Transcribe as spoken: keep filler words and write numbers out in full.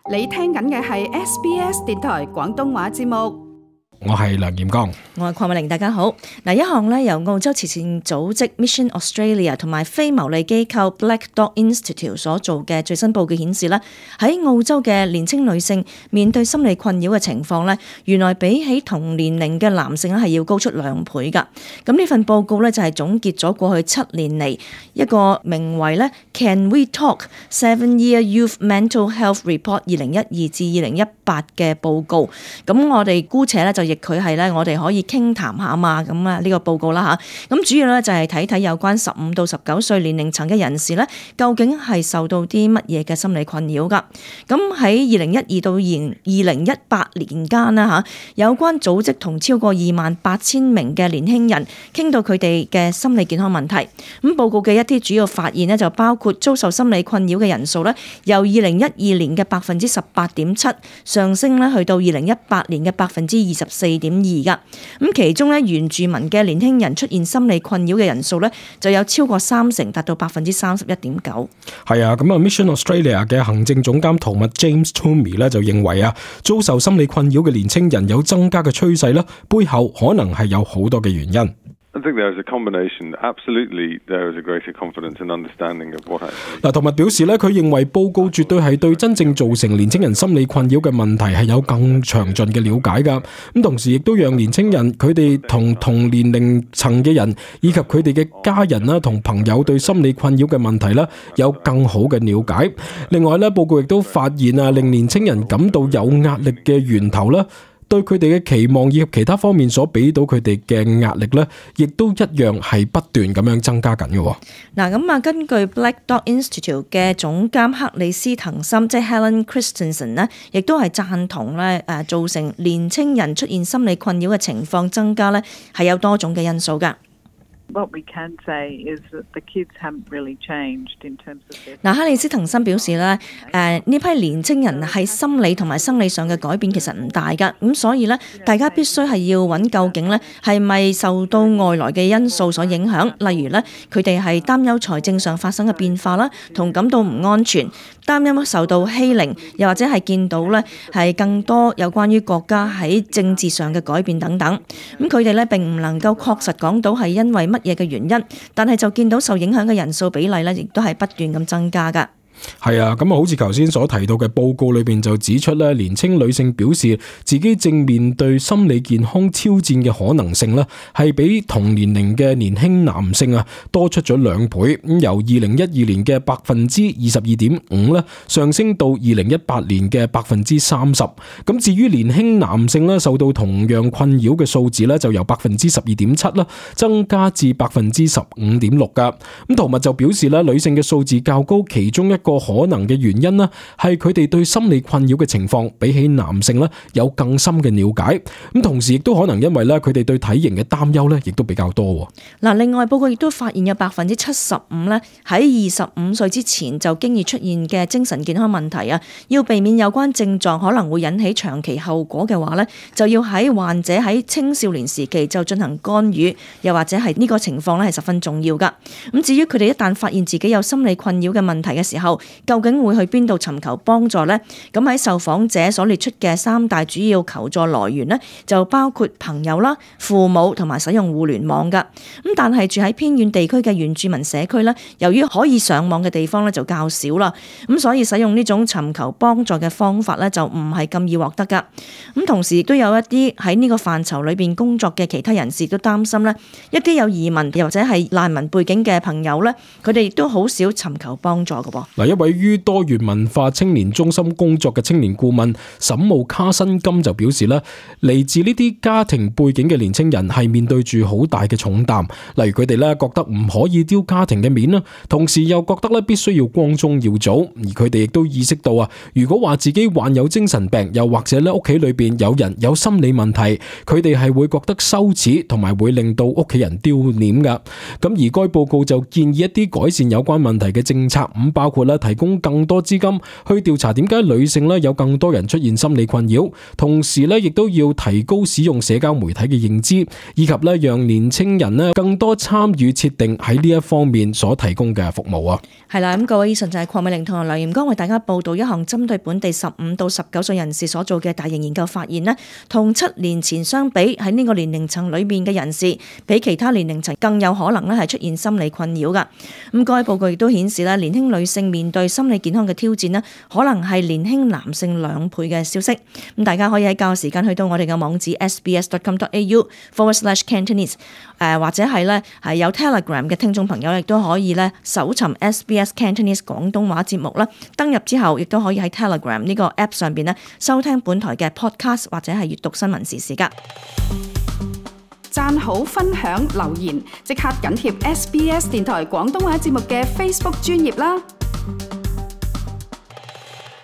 你聽緊嘅係 S B S 電台廣東話節目。我係梁炎剛，我係鄺美玲，大家好。嗱，一項咧由澳洲慈善組織 Mission Australia 同埋非牟利機構 Black Dog Institute 所做嘅最新報告顯示咧，喺澳洲嘅年輕女性面對心理困擾嘅情況咧，原來比起同年齡嘅男性咧係要高出兩倍㗎。咁呢份報告咧就係總結咗過去七年嚟一個名為咧 Can We Talk Seven Year Youth Mental Health Report 二零一二至二零一八嘅報告。咁我哋姑且咧就亦佢係咧，我哋可以傾談下嘛，咁啊呢個報告啦嚇。咁主要咧就係睇睇有關十五到十九歲年齡層嘅人士咧，究竟係受到啲乜嘢嘅心理困擾㗎。咁喺二零一二到二零一八年間啦嚇，有關組織同超過二萬八千名嘅年輕人傾到佢哋嘅心理健康問題。咁報告嘅一啲主要發現呢，就包括遭受心理困擾嘅人數咧，由二零一二年嘅百分之十八點七上升咧，去到二零一八年嘅百分之二十四點二噶。咁其中咧，原住民嘅年輕人出現心理困擾嘅人數咧，就有超過三成，達到百分之三十一點九。係啊，咁啊 Mission Australia 嘅行政總監陶密 James Toomey 咧就認為啊，遭受心理困擾嘅年輕人有增加嘅趨勢啦，背後可能係有好多嘅原因。I think there is a combination. Absolutely, there is a greater confidence and understanding of what actually. 嗱，陶密表示咧，佢認為報告絕對係對真正造成年青人心理困擾嘅問題係有更詳盡嘅了解㗎。咁同時亦都讓年青人佢哋同同年齡層嘅人以及佢哋嘅家人啦同朋友對心理困擾嘅問題啦有更好嘅了解。另外咧，報告亦都發現啊，令年青人感到有壓力嘅源頭啦，對佢哋嘅期望以及其他方面所俾到佢哋嘅壓力咧，亦都一樣係不斷咁樣增加緊嘅。嗱，咁啊，根據 Black Dog Institute 嘅總監克里斯滕森，即係 Helen Christensen 咧，亦都係贊同咧誒造成年青人出現心理困擾嘅情況增加咧，係有多種嘅因素㗎。What we can say is that the kids haven't really changed in terms of their... 嗱，克里斯滕森表示咧，誒呢批年青人喺心理同埋生理上嘅改變其實唔大噶，咁所以咧，大家必須係要揾究竟咧係咪受到外來嘅因素所影響，例如咧佢哋係擔憂財政上發生嘅變化啦，同感到唔安全，擔憂受到欺凌，又或者係見到咧係更多有關於國家喺政治上嘅改變等等，咁佢哋咧並唔能夠確實講到係因為乜嘢嘅原因，但係就見到受影響嘅人數比例咧，亦都係不斷咁增加㗎。係啊，咁啊，好似頭先所提到嘅報告裏邊就指出咧，年輕女性表示自己正面對心理健康挑戰嘅可能性咧，係比同年齡嘅年輕男性啊多出咗兩倍。咁由二零一二年嘅百分之二十二點五咧，上升到二零一八年嘅百分之三十。咁至於年輕男性咧，受到同樣困擾嘅數字咧，就由百分之十二點七啦，增加至百分之十五點六噶。咁陶密就表示咧，女性嘅數字較高，其中一個個可能嘅原因呢，係佢哋對心理困擾嘅情況比起男性呢有更深嘅了解，咁同時亦都可能因為咧佢哋對體型嘅擔憂呢亦都比較多。嗱，另外報告亦都發現有百分之七十五咧喺二十五歲之前就經已出現嘅精神健康問題啊，要避免有關症狀可能會引起長期後果嘅話呢，就要喺患者喺青少年時期就進行干預，又或者係呢個情況咧係十分重要噶。咁至於佢哋一旦發現自己有心理困擾嘅問題嘅時候，究竟會去邊度尋求幫助呢？咁喺受訪者所列出嘅三大主要求助來源呢，就包括朋友啦、父母同埋使用互聯網噶。咁但係住喺偏遠地區嘅原住民社區呢，由於可以上網嘅地方呢就較少啦，咁所以使用呢種尋求幫助嘅方法呢，就唔係咁易獲得噶。咁同時亦都有一啲喺呢個範疇裏邊工作嘅其他人士都擔心呢，一啲有移民又或者係難民背景嘅朋友呢，佢哋亦都好少尋求幫助噶噃。嗱，一位於多元文化青年中心工作嘅青年顧問沈慕卡辛金就表示咧，嚟自呢啲家庭背景嘅年青人係面對住好大嘅重擔，例如佢哋咧覺得唔可以丟家庭嘅面啦，同時又覺得咧必須要光宗耀祖，而佢哋亦都意識到啊，如果話自己患有精神病，又或者咧屋企裏邊有人有心理問題，佢哋係會覺得羞恥，同埋會令到屋企人丟臉噶。咁而該報告就建議一啲改善有關問題嘅政策，咁包括咧提供更多資金去調查點解女性咧有更多人出現心理困擾，同時咧亦都要提高使用社交媒體嘅認知，以及咧讓年青人咧更多參與設定喺呢一方面所提供嘅服務啊。係啦，咁各位以上就係鄺美玲同埋梁炎光為大家報道一項針對本地十五到十九歲人士所做嘅大型研究發現呢，同七年前相比，喺呢個年齡層裏面嘅人士比其他年齡層更有可能咧係出現心理困擾噶。咁該報告亦都顯示咧，年輕女性面對心理健康嘅挑戰呢，可能係年輕男性兩倍嘅消息。咁大家可以喺較時間去到我哋嘅網址 s b s dot com dot a u forward slash cantonese， 誒或者係咧係有 Telegram 嘅聽眾朋友亦都可以咧搜尋 S B S Cantonese 廣東話節目啦。登入之後亦都可以喺 Telegram 呢個 App 上邊咧收聽本台嘅 Podcast 或者係閱讀新聞時事噶。讚好、分享、留言，即刻緊貼 S B S 電台廣東話節目嘅 Facebook 專頁啦！